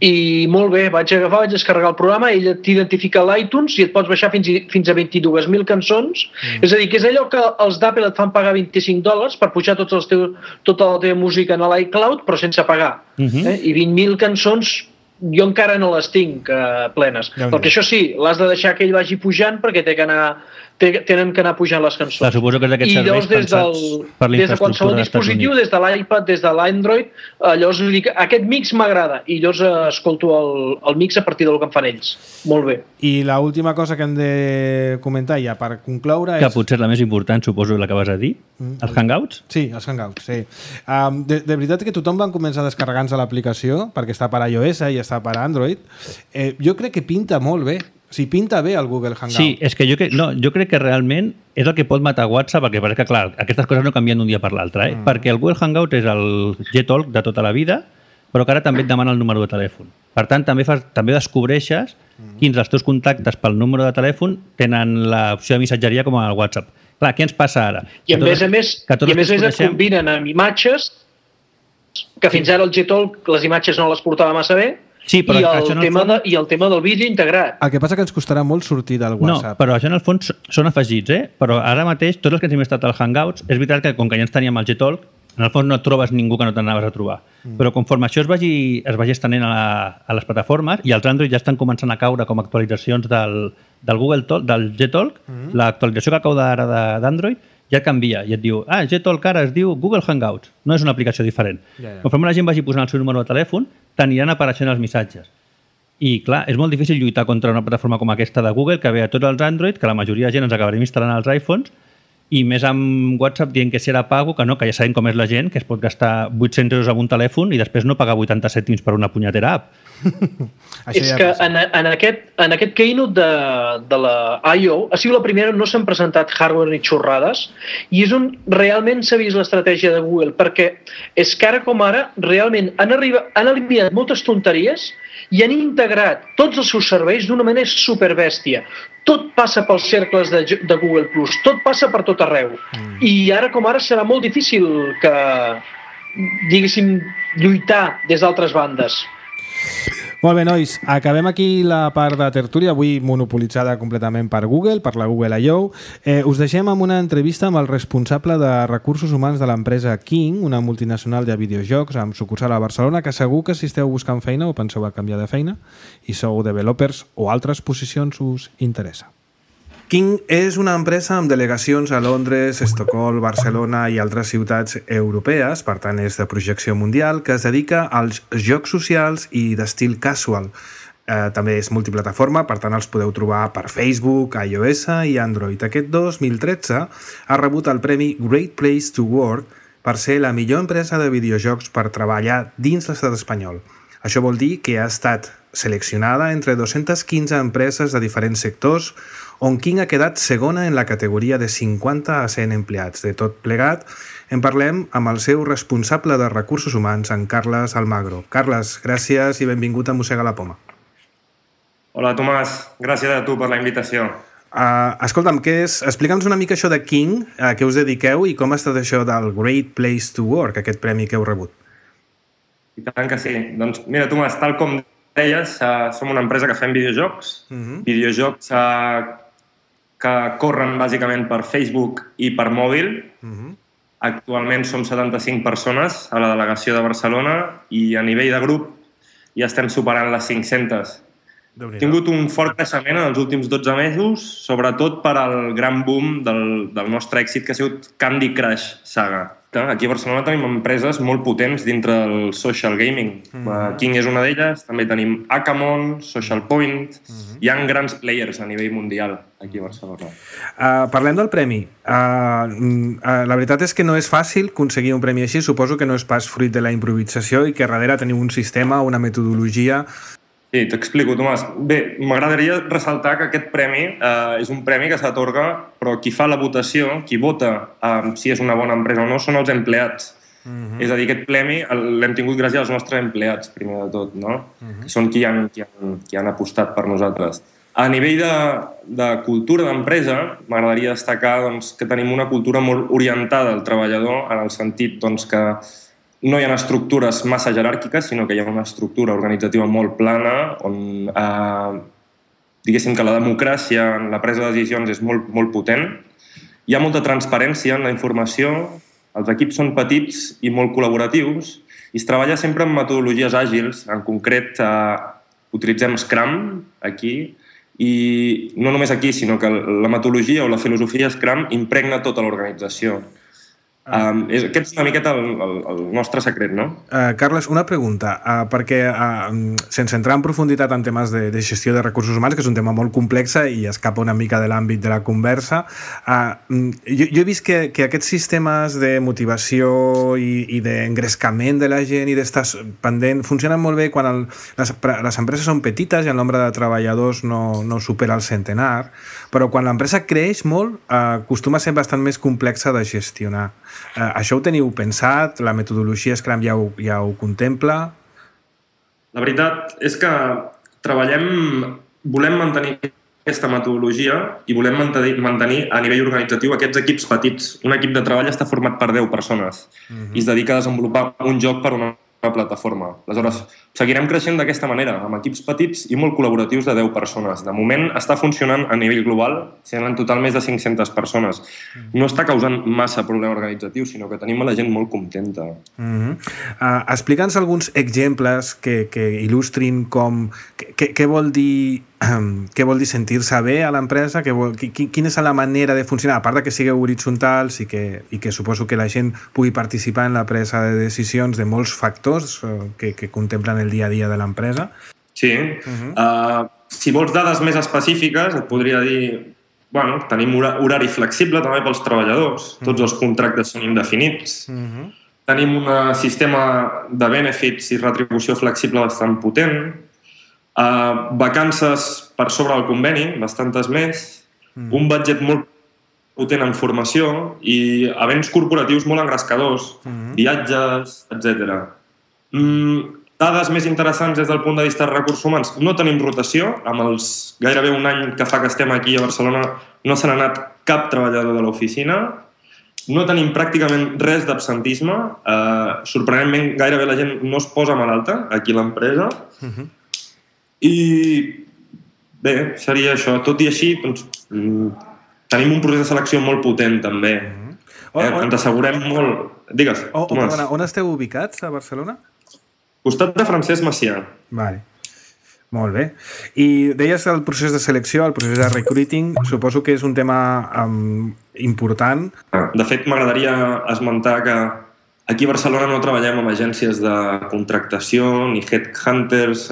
I molt bé, vaig descarregar el programa, ell t'identifica l'iTunes i et pots baixar fins a 22.000 cançons. És a dir, que és allò que els d'Apple et fan pagar $25 per pujar tota la teva música en l'iCloud, però sense pagar. I 20.000 cançons jo encara no les tinc plenes. Perquè això sí, l'has de deixar que ell vagi pujant perquè tenen que anar pujant les cançons. Clar, suposo que és d'aquests serveis pensats per la infraestructura des de qualsevol dispositiu, des de l'iPad, des de l'Android, llavors dic, aquest mix m'agrada i llavors escolto el mix a partir del que em fan ells. Molt bé. I l'última cosa que hem de comentar ja per concloure que potser és la més important, suposo, la que vas a dir, els Hangouts? Sí, els Hangouts, sí. De veritat que tothom va començar a descarregar-nos l'aplicació perquè està per iOS i està per Android. Jo crec que pinta molt bé. O sigui, pinta bé el Google Hangout. Sí, és que jo crec que realment és el que pot matar WhatsApp, perquè pareix que, clar, aquestes coses no canvien d'un dia per l'altre, perquè el Google Hangout és el Gtalk de tota la vida, però que ara també et demana el número de telèfon. Per tant, també descobreixes quins dels teus contactes pel número de telèfon tenen l'opció de missatgeria com al WhatsApp. Clar, què ens passa ara? I a més a més es combinen amb imatges, que fins ara el Gtalk les imatges no les portava massa bé, sí, però i el tema del vídeo integrat. El que passa que ens costarà molt sortir del WhatsApp. No, però això en el fons són afegits, però ara mateix tots els que ens hem estat als Hangouts, és veritat que com que ja ens teníem el Gtalk, en el fons no trobes ningú que no t'anaves a trobar. Però conforme això es vagi estenent a les plataformes i els Android ja estan començant a caure com actualitzacions del Google Talk, del Gtalk, l'actualització que cau ara d'Android ja canvia i et diu, Gtalk ara es diu Google Hangouts, no és una aplicació diferent. Conforme la gent vagi posant el seu número de telèfon, t'aniran apareixent els missatges. I, clar, és molt difícil lluitar contra una plataforma com aquesta de Google que ve a tots els Android, que la majoria de gent ens acabarem instal·lant als iPhones, i més amb WhatsApp dient que serà pago, que no, que ja sabem com és la gent, que es pot gastar 800 euros en un telèfon i després no pagar 80 cèntims per una punyetera app. És que en aquest keynote de la I.O. ha sigut la primera on no s'han presentat hardware ni xorrades i és on realment s'ha vist l'estratègia de Google, perquè és que ara com ara realment han eliminat moltes tonteries i han integrat tots els seus serveis d'una manera superbèstia. Tot passa pels cercles de Google+, tot passa per tot arreu. I ara com ara serà molt difícil que, diguéssim, lluitar des d'altres bandes. Molt bé, nois, acabem aquí la part de tertúlia, avui monopolitzada completament per Google, per la Google I.O. Us deixem amb una entrevista amb el responsable de recursos humans de l'empresa King, una multinacional de videojocs amb sucursal a Barcelona, que segur que si esteu buscant feina o penseu a canviar de feina i sou developers o altres posicions us interessa. King és una empresa amb delegacions a Londres, Estocolm, Barcelona i altres ciutats europees, per tant és de projecció mundial, que es dedica als jocs socials i d'estil casual. També és multiplataforma, per tant els podeu trobar per Facebook, iOS i Android. Aquest 2013 ha rebut el premi Great Place to Work per ser la millor empresa de videojocs per treballar dins l'estat espanyol. Això vol dir que ha estat seleccionada entre 215 empreses de diferents sectors, on King ha quedat segona en la categoria de 50 a 100 empleats. De tot plegat, en parlem amb el seu responsable de recursos humans, en Carles Almagro. Carles, gràcies i benvingut a Mossega la Poma. Hola, Tomàs. Gràcies a tu per la invitació. Escolta'm, explica'ns una mica això de King, a què us dediqueu i com ha estat això del Great Place to Work, aquest premi que heu rebut. I tant que sí. Doncs mira, Tomàs, tal com deies, som una empresa que fem videojocs, videojocs que corren bàsicament per Facebook i per mòbil. Actualment som 75 persones a la delegació de Barcelona i a nivell de grup ja estem superant les 500. Hem tingut un fort creixement en els últims 12 mesos, sobretot per al gran boom del nostre èxit, que ha sigut Candy Crush Saga. Aquí a Barcelona tenim empreses molt potents dintre del social gaming. King és una d'elles, també tenim Akamon, Social Point. Hi ha grans players a nivell mundial aquí a Barcelona. Parlem del premi. La veritat és que no és fàcil aconseguir un premi així. Suposo que no és pas fruit de la improvisació i que darrere teniu un sistema, una metodologia. Sí, t'explico, Tomàs. Bé, m'agradaria ressaltar que aquest premi és un premi que s'atorga, però qui fa la votació, qui vota si és una bona empresa o no, són els empleats. És a dir, aquest premi l'hem tingut gràcies als nostres empleats, primer de tot, no? Que són qui han apostat per nosaltres. A nivell de cultura d'empresa, m'agradaria destacar que tenim una cultura molt orientada al treballador, en el sentit que no hi ha estructures massa jeràrquiques, sinó que hi ha una estructura organitzativa molt plana, on diguéssim que la democràcia en la presa de decisions és molt, molt potent. Hi ha molta transparència en la informació, els equips són petits i molt col·laboratius, i es treballa sempre amb metodologies àgils. En concret, utilitzem Scrum aquí, i no només aquí, sinó que la metodologia o la filosofia Scrum impregna tota l'organització. Aquest és una miqueta el nostre secret, no? Carles, una pregunta, perquè sense entrar en profunditat en temes de gestió de recursos humans, que és un tema molt complex i escapa una mica de l'àmbit de la conversa, jo he vist que aquests sistemes de motivació i d'engrescament de la gent i d'estar pendent funcionen molt bé quan les empreses són petites i el nombre de treballadors no supera el centenar, però quan l'empresa creix molt acostuma a ser bastant més complexa de gestionar. Això ho teniu pensat? La metodologia Scrum ja ho contempla? La veritat és que volem mantenir aquesta metodologia i volem mantenir a nivell organitzatiu aquests equips petits. Un equip de treball està format per 10 persones i es dedica a desenvolupar un joc per una plataforma. Aleshores, seguirem creixent d'aquesta manera, amb equips petits i molt col·laboratius de 10 persones. De moment està funcionant a nivell global, sent en total més de 500 persones. No està causant massa problema organitzatiu, sinó que tenim a la gent molt contenta. Explica'ns alguns exemples que il·lustrin què vol dir sentir-se bé a l'empresa, quina és la manera de funcionar, a part que sigueu horitzontals i que suposo que la gent pugui participar en la presa de decisions de molts factors que contemplen el dia a dia de l'empresa. Sí. Si vols dades més específiques, et podria dir... Bueno, tenim horari flexible també pels treballadors. Tots els contractes són indefinits. Tenim un sistema de benefits i retribució flexible bastant potent. Vacances per sobre del conveni, bastantes més. Un budget molt potent en formació i events corporatius molt engrescadors, viatges, etc. Dades més interessants des del punt de vista de recursos humans. No tenim rotació. Amb els gairebé un any que fa que estem aquí a Barcelona no se n'ha anat cap treballador de l'oficina. No tenim pràcticament res d'absentisme. Sorprenentment, gairebé la gent no es posa malalta aquí a l'empresa. I bé, seria això. Tot i així, doncs, tenim un procés de selecció molt potent, també. Ens assegurem molt... Digues, Tomàs. Perdona, on esteu ubicats, a Barcelona? Costat de Francesc Macià. Vale. Molt bé. I deies el procés de selecció, el procés de recruiting, suposo que és un tema important. De fet, m'agradaria esmentar que aquí a Barcelona no treballem amb agències de contractació ni headhunters.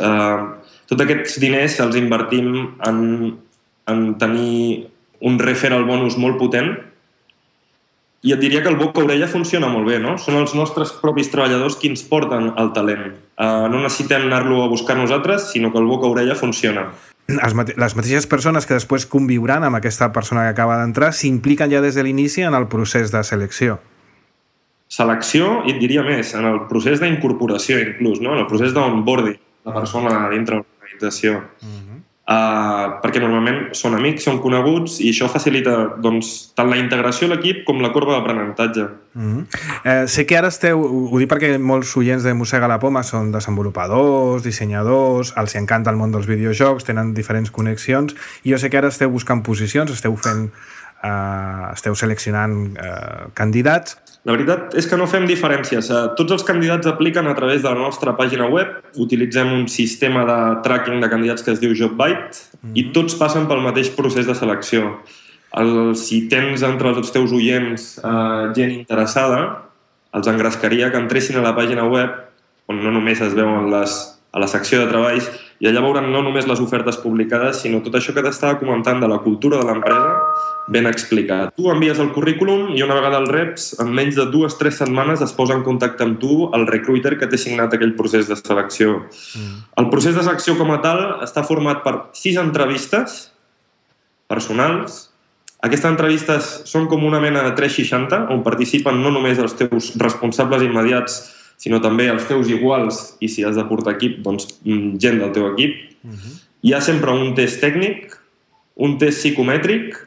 Tots aquests diners els invertim en tenir un referral bonus molt potent. I et diria que el boca-orella funciona molt bé, no? Són els nostres propis treballadors qui ens porten el talent. No necessitem anar-lo a buscar nosaltres, sinó que el boca-orella funciona. Les mateixes persones que després conviuran amb aquesta persona que acaba d'entrar s'impliquen ja des de l'inici en el procés de selecció. Selecció, i et diria més, en el procés d'incorporació inclús, no? En el procés d'onboarding de la persona dintre de l'organització. Perquè normalment són amics, són coneguts i això facilita doncs, tant la integració a l'equip com la corba d'aprenentatge. Sé que ara esteu, ho dic perquè molts oients de Mossega la Poma són desenvolupadors, dissenyadors, els encanta el món dels videojocs, tenen diferents connexions i jo sé que ara esteu buscant posicions, esteu seleccionant candidats. La veritat és que no fem diferències. Tots els candidats apliquen a través de la nostra pàgina web. Utilitzem un sistema de tracking de candidats que es diu JobBite i tots passen pel mateix procés de selecció. Si tens entre els teus oients gent interessada, els engrescaria que entressin a la pàgina web on no només es veuen a la secció de treballs i allà veuran no només les ofertes publicades, sinó tot això que t'estava comentant de la cultura de l'empresa ben explicat. Tu envies el currículum i una vegada el reps, en menys de 2-3 setmanes es posa en contacte amb tu el recruiter que t'ha signat aquell procés de selecció. El procés de selecció com a tal està format per 6 entrevistes personals. Aquestes entrevistes són com una mena de 360, on participen no només els teus responsables immediats, sinó també els teus iguals i si has de portar equip, doncs gent del teu equip. Hi ha sempre un test tècnic, un test psicomètric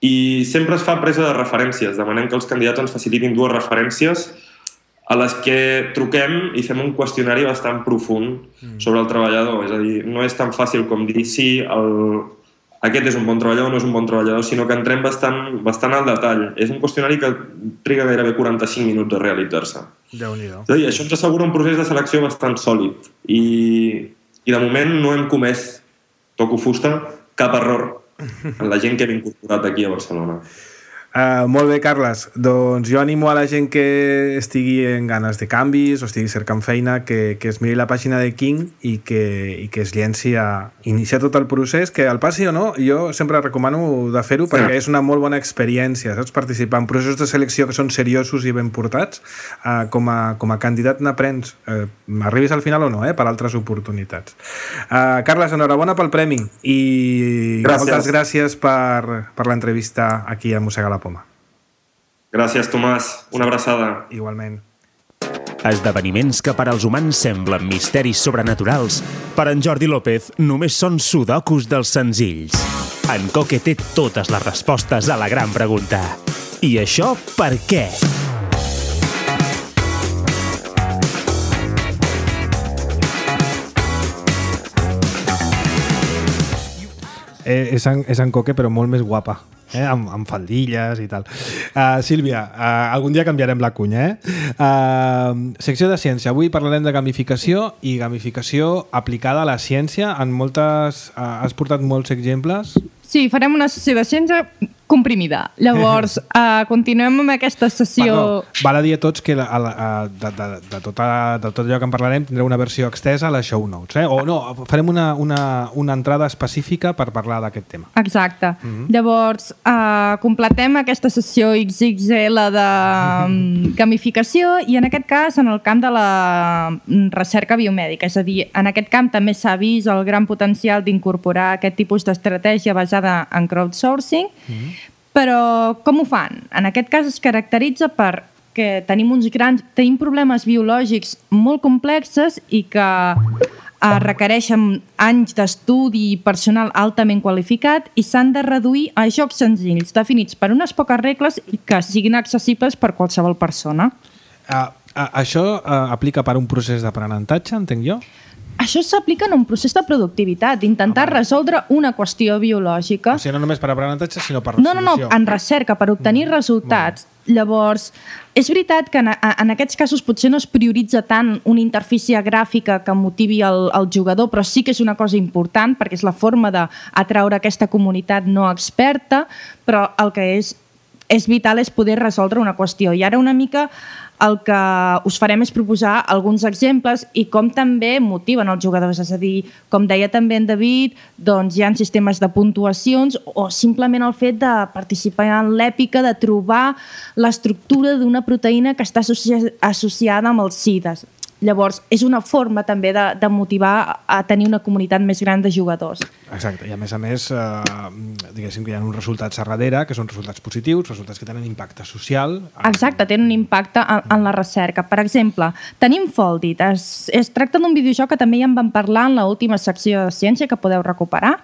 i sempre es fa presa de referències. Demanem que els candidats ens facilitin 2 referències a les que truquem i fem un qüestionari bastant profund sobre el treballador. És a dir, no és tan fàcil com dir sí, aquest és un bon treballador o no és un bon treballador, sinó que entrem bastant al detall. És un qüestionari que triga gairebé 45 minuts a realitzar-se. Déu-n'hi-do. És a dir, això ens assegura un procés de selecció bastant sòlid i de moment no hem comès, toco fusta, cap error en la gent que hem incorporat aquí a Barcelona. Molt bé, Carles. Doncs jo animo a la gent que estigui en ganes de canvis o estigui cercant feina que es miri la pàgina de King i que es llenci a iniciar tot el procés, que el passi o no, jo sempre recomano de fer-ho perquè és una molt bona experiència, saps? Participar en processos de selecció que són seriosos i ben portats, com a candidat n'aprens, arribis al final o no, per altres oportunitats. Carles, enhorabona pel premi i moltes gràcies per l'entrevista aquí a Mossega la Poma. Gràcies, Tomàs. Una abraçada. Igualment. Esdeveniments que per als humans semblen misteris sobrenaturals, per en Jordi López només són sudokus dels senzills. En Coque té totes les respostes a la gran pregunta. I això per què? És en Coque, però molt més guapa, amb faldilles i tal. Sílvia, algun dia canviarem la cunya, secció de ciència. Avui parlarem de gamificació i gamificació aplicada a la ciència. Has portat molts exemples. Sí, farem una sessió de ciència comprimida. Llavors, continuem amb aquesta sessió... Val a dir a tots que de tot allò que en parlarem tindreu una versió extesa a les show notes, O no, farem una entrada específica per parlar d'aquest tema. Exacte. Llavors, completem aquesta sessió XXL de gamificació i en aquest cas en el camp de la recerca biomèdica. És a dir, en aquest camp també s'ha vist el gran potencial d'incorporar aquest tipus d'estratègia basada en crowdsourcing, però com ho fan? En aquest cas es caracteritza perquè tenim problemes biològics molt complexes i que requereixen anys d'estudi i personal altament qualificat i s'han de reduir a jocs senzills, definits per unes poques regles i que siguin accessibles per qualsevol persona. Això aplica per un procés d'aprenentatge, entenc jo? Això s'aplica en un procés de productivitat, d'intentar resoldre una qüestió biològica. O sigui, no només per aprenentatge, sinó per resolució. No, en recerca, per obtenir resultats. Llavors, és veritat que en aquests casos potser no es prioritza tant una interfície gràfica que motivi el jugador, però sí que és una cosa important perquè és la forma d'atraure aquesta comunitat no experta, però el que és vital és poder resoldre una qüestió. I ara una mica el que us farem és proposar alguns exemples i com també motiven els jugadors. És a dir, com deia també en David, doncs hi ha sistemes de puntuacions o simplement el fet de participar en l'èpica de trobar l'estructura d'una proteïna que està associada amb els SIDAs. Llavors, és una forma també de motivar a tenir una comunitat més gran de jugadors. Exacte, i a més, diguéssim que hi ha uns resultats a darrere, que són resultats positius, resultats que tenen impacte social. Exacte, tenen un impacte en la recerca. Per exemple, tenim Foldit. Es tracta d'un videojoc que també ja en vam parlar en l'última secció de ciència que podeu recuperar.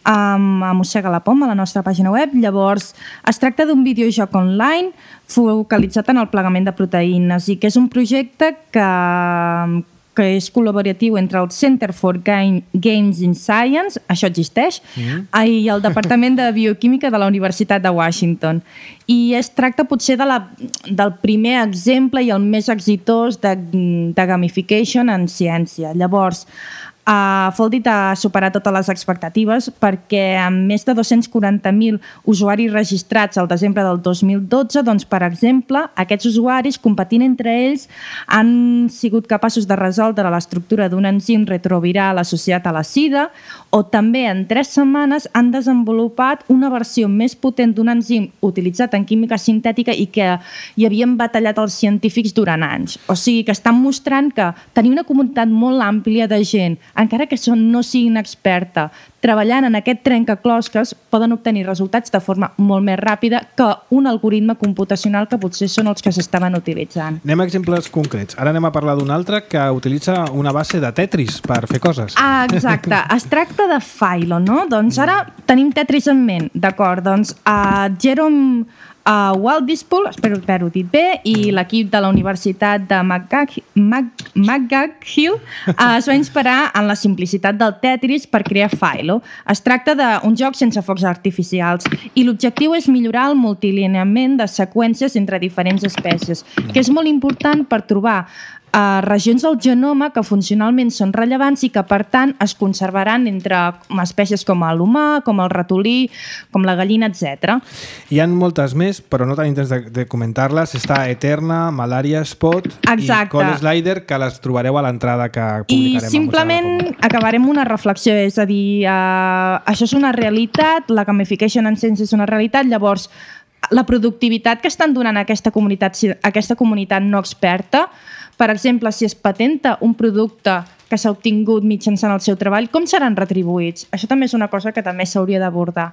A Mossega la Poma, a la nostra pàgina web. Llavors, es tracta d'un videojoc online focalitzat en el plegament de proteïnes i que és un projecte que és col·laboratiu entre el Center for Games in Science, això existeix, i el Departament de Bioquímica de la Universitat de Washington. I es tracta potser del primer exemple i el més exitós de gamification en ciència. Llavors, Foldit ha superat totes les expectatives perquè amb més de 240.000 usuaris registrats al desembre del 2012, doncs, per exemple, aquests usuaris, competint entre ells, han sigut capaços de resoldre l'estructura d'un enzim retroviral associat a la sida o també en 3 setmanes han desenvolupat una versió més potent d'un enzim utilitzat en química sintètica i que hi havien batallat els científics durant anys. O sigui que estan mostrant que tenir una comunitat molt àmplia de gent, encara que no siguin experta, treballant en aquest trencaclosques, poden obtenir resultats de forma molt més ràpida que un algoritme computacional que potser són els que s'estaven utilitzant. Anem a exemples concrets. Ara anem a parlar d'un altre que utilitza una base de Tetris per fer coses. Exacte. Es tracta de Philo, no? Doncs ara tenim Tetris en ment, d'acord? Doncs Jerome Waldispool, espero haver-ho dit bé, i l'equip de la Universitat de McGraw-Hill es va inspirar en la simplicitat del Tetris per crear Philo. Es tracta d'un joc sense focs artificials i l'objectiu és millorar el multilineament de seqüències entre diferents espècies, que és molt important per trobar regions del genoma que funcionalment són rellevants i que, per tant, es conservaran entre espècies com l'humà, com el ratolí, com la gallina, etc. Hi ha moltes més, però no tenim temps de comentar-les. Està Eterna, Malaria Spot i Call Slider, que les trobareu a l'entrada que publicarem. I simplement acabarem una reflexió, és a dir, això és una realitat, la gamification en ciència és una realitat, llavors la productivitat que estan donant a aquesta comunitat no experta. Per exemple, si es patenta un producte que s'ha obtingut mitjançant el seu treball, com seran retribuïts? Això també és una cosa que també s'hauria d'abordar.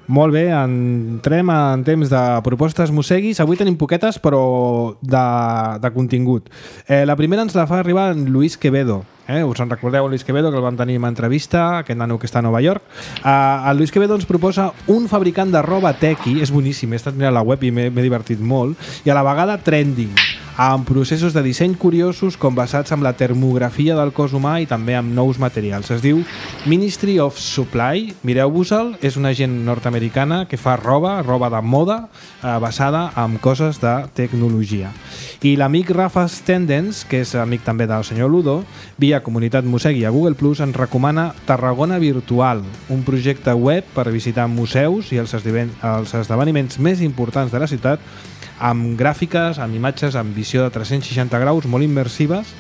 Molt bé, entrem en temps de propostes mosseguis. Avui tenim poquetes, però de contingut. La primera ens la fa arribar en Luis Quevedo. Us en recordeu Luis Quevedo, que el vam tenir en entrevista, aquest nano que està a Nova York. El Luis Quevedo ens proposa un fabricant de roba tequi, és boníssim, he estat mirant la web i m'he divertit molt, i a la vegada trending, amb processos de disseny curiosos com basats en la termografia del cos humà i també amb nous materials. Es diu Ministry of Supply, mireu-vos-el, és una gent nord-americana que fa roba de moda basada en coses de tecnologia. I l'amic Rafa Stendens, que és amic també del senyor Ludo, via Comunitat Mossegui a Google+, ens recomana Tarragona Virtual, un projecte web per visitar museus i els esdeveniments més importants de la ciutat, amb gràfiques, amb imatges, amb visió de 360 graus, molt immersives,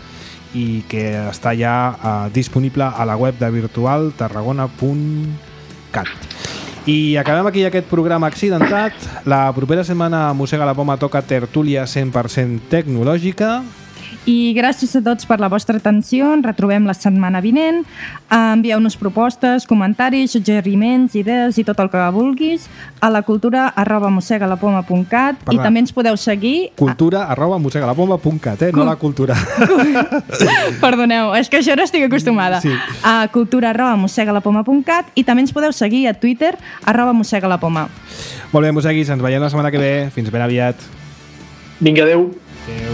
i que està ja disponible a la web de virtualtarragona.cat. I acabem aquí aquest programa accidentat. La propera setmana a Mossega la Poma toca tertúlia 100% tecnològica. I gràcies a tots per la vostra atenció. Ens retrobem la setmana vinent. Envieu-nos propostes, comentaris, suggeriments, idees i tot el que vulguis a la cultura@mossegalapoma.cat. I també ens podeu seguir... cultura@mossegalapoma.cat, no la cultura. Perdoneu, és que això no estic acostumada. Sí. A cultura@mossegalapoma.cat i també ens podeu seguir a Twitter @mossegalapoma. Molt bé, mosseguis, ens veiem la setmana que ve. Fins ben aviat. Vinga, adeu. Adeu.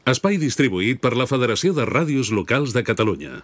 Espai distribuït per la Federació de Ràdios Locals de Catalunya.